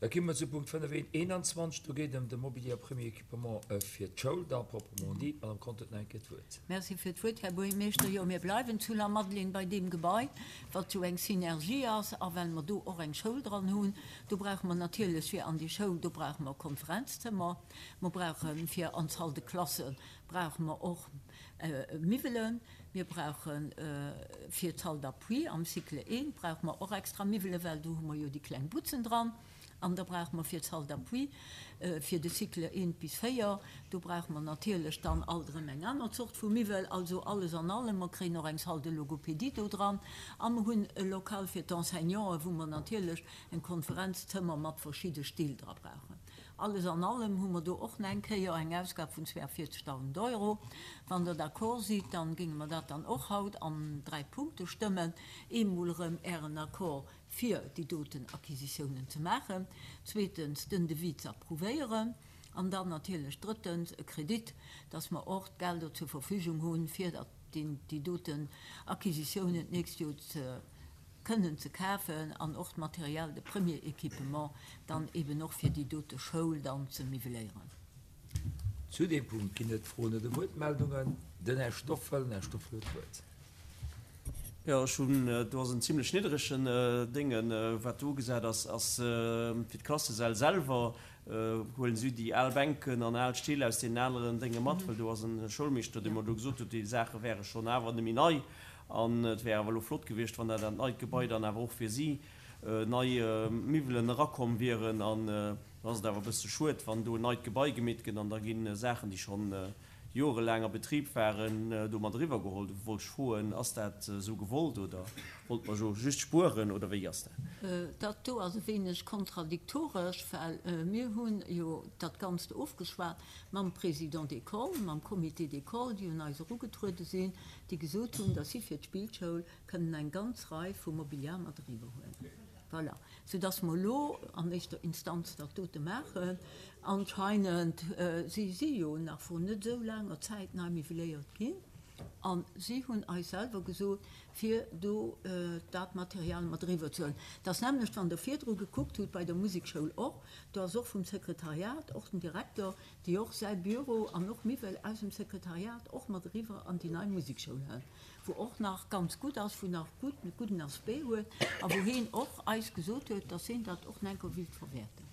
Da gi mer zu Punkt 5, 21. Do geet et ëm de Mobilier a Premier Équipement fir d'Schoul da proprement dit. D'Madame Conter huet nach eng Kéier d'Wuert. Merci fir d'Wuert, Här Buergermeeschter. Jo, mir bleiwen zu Lamadelaine bei deem Gebai, wat jo eng Synergie ass. A well mer do och eng Schoul dran hunn, do brauche mer natierlech fir an déi Schoul, do brauche mer Konferenzzëmmer, mer brauche fir an d'Salle de classe brauche mer och Miwwelen, mir brauche fir d'Salle d'appui am Cycle I brauche mer och extra Miwwelen, well do hu mer jo déi kleng Butzen dran. An da brauche mer fir d'Salle d'appui fir de Cycle I bis IV, do brauche mer natierlech dann alt erëm eng aner Zort vu Miwwel. Also alles an allem, mer kréien och eng Salle de logopédie do dran a mer hunn e Lokal fir d'Enseignanten, wou mer natierlech en Konferenzzëmmer mat verschidde Still dra brauchen. Alles an allem hu mer do och nach eng Kéier eng Ausgab vun 42.000 Euro. Wann Der d'accord sidd, dann géinge mer dat dann och haut an dräi Punkte stëmmen. Eemol erëm Ären Accord fir déi doten Acquisitiounen ze maachen, zweetens den Devis ze approuvéieren an dann natierlech drëttens e Kredit, dass mer och d'Gelder zur Verfügung hunn, fir dat déi doten Acquisitiounen d'nächst Joer ze kënnen ze kafen an och d'Material de premier équipement dann eben och fir déi dote Schoul dann ze miwweléieren. Zu deem Punkt ginn et Froen oder Wuertmeldungen. Den Här Stoffel. Den Här Stoffel huet d'Wuert. Jo, ech hunn, do ass en zimlech niddregen Déngen, wat do ugesat ass, ass fir d'Klassesäll selwer. Huelen si déi al Bänken an al Still aus deenen aneren Dénge mat, well do ass en Schoulmeeschter, dee mer do gesot huet, déi Saache wäre schonn awer net méi nei an et wär awer elo flott gewiescht, wann dat an d'neit Gebai dann awer och fir si nei Miwwelen erakomm wieren. An dann ass et awer e bësse schued, wann do en neit Gebai gemeet gëtt an da gi Saachen, déi schonn jorelaang a Betrib waren, do mat eriwwer geholl. Du wollt ech froen, ass dat esou gewollt oder wollt mer jo just spueren oder wéi ass dat? Dat do ass e wéineg kontradiktoresch, well mir hunn jo dat Ganzt ofgeschwat mam Président d'école, mam Comité d'école, déi un eis erugetruede sinn, déi gesot hunn, datt si fir d'Spillschoul kënnen eng ganz Rei vu Mobiliar mat eriwwer huelen. Voilà. Soudass mer elo an éischter Instanz dat dote maachen. Anscheinend, si si jo nach vrun net esou laanger Zäit nei miwweléiert ginn a si hunn eis selwer gesot, fir do dat Material mat eriwwer ze huelen. Et ass nämmlecht, wann Der virdru gekuckt hutt bei der Musekschoul och, do ass och vum Sekretariat, och den Direkter, déi och säi Büro an och Miwwel aus dem Sekretariat och mat eriwwer an déi nei Musekschoul hëlt. wou och nach ganz gutt ass, wou nach gutt, e gudden Aspect huet a wou heen och eis gesot huet, dass heen dat och nach enker wéilt verwäerten.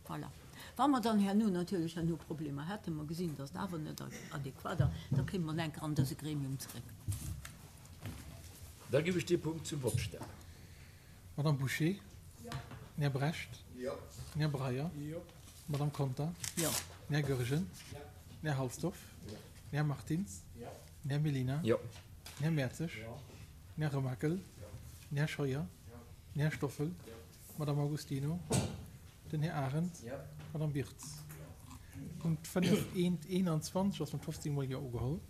Voilà. Wa mer dann herno natierlech herno Problemer hätten, mer gesinn, dass et awer net adequat ass, da kéime mer nach enker an dëse Gremium zeréck. Da giff ech dee Punkt zum Vott stellen. Madame Bouché? Jo. Den Här Brecht? Jo. Den Här Breyer? Jo. D'Madame Conter? Jo. Den Här Goergen? Jo. Den Här Halsdorf? Jo. Den Här Martins? Jo. Den Här Mellina? Jo. Den Här Mertzig? Jo. Den Här Remakel? Jo. Den Här Scheuer? Jo. Den Här Stoffel? Jo. D'Madame Augustino? Jo. Den Här Arendt? Jo. D'Madame Wirtz? Jo. Punkt 5 1 21 ass mat 15 mol Jo ugeholl.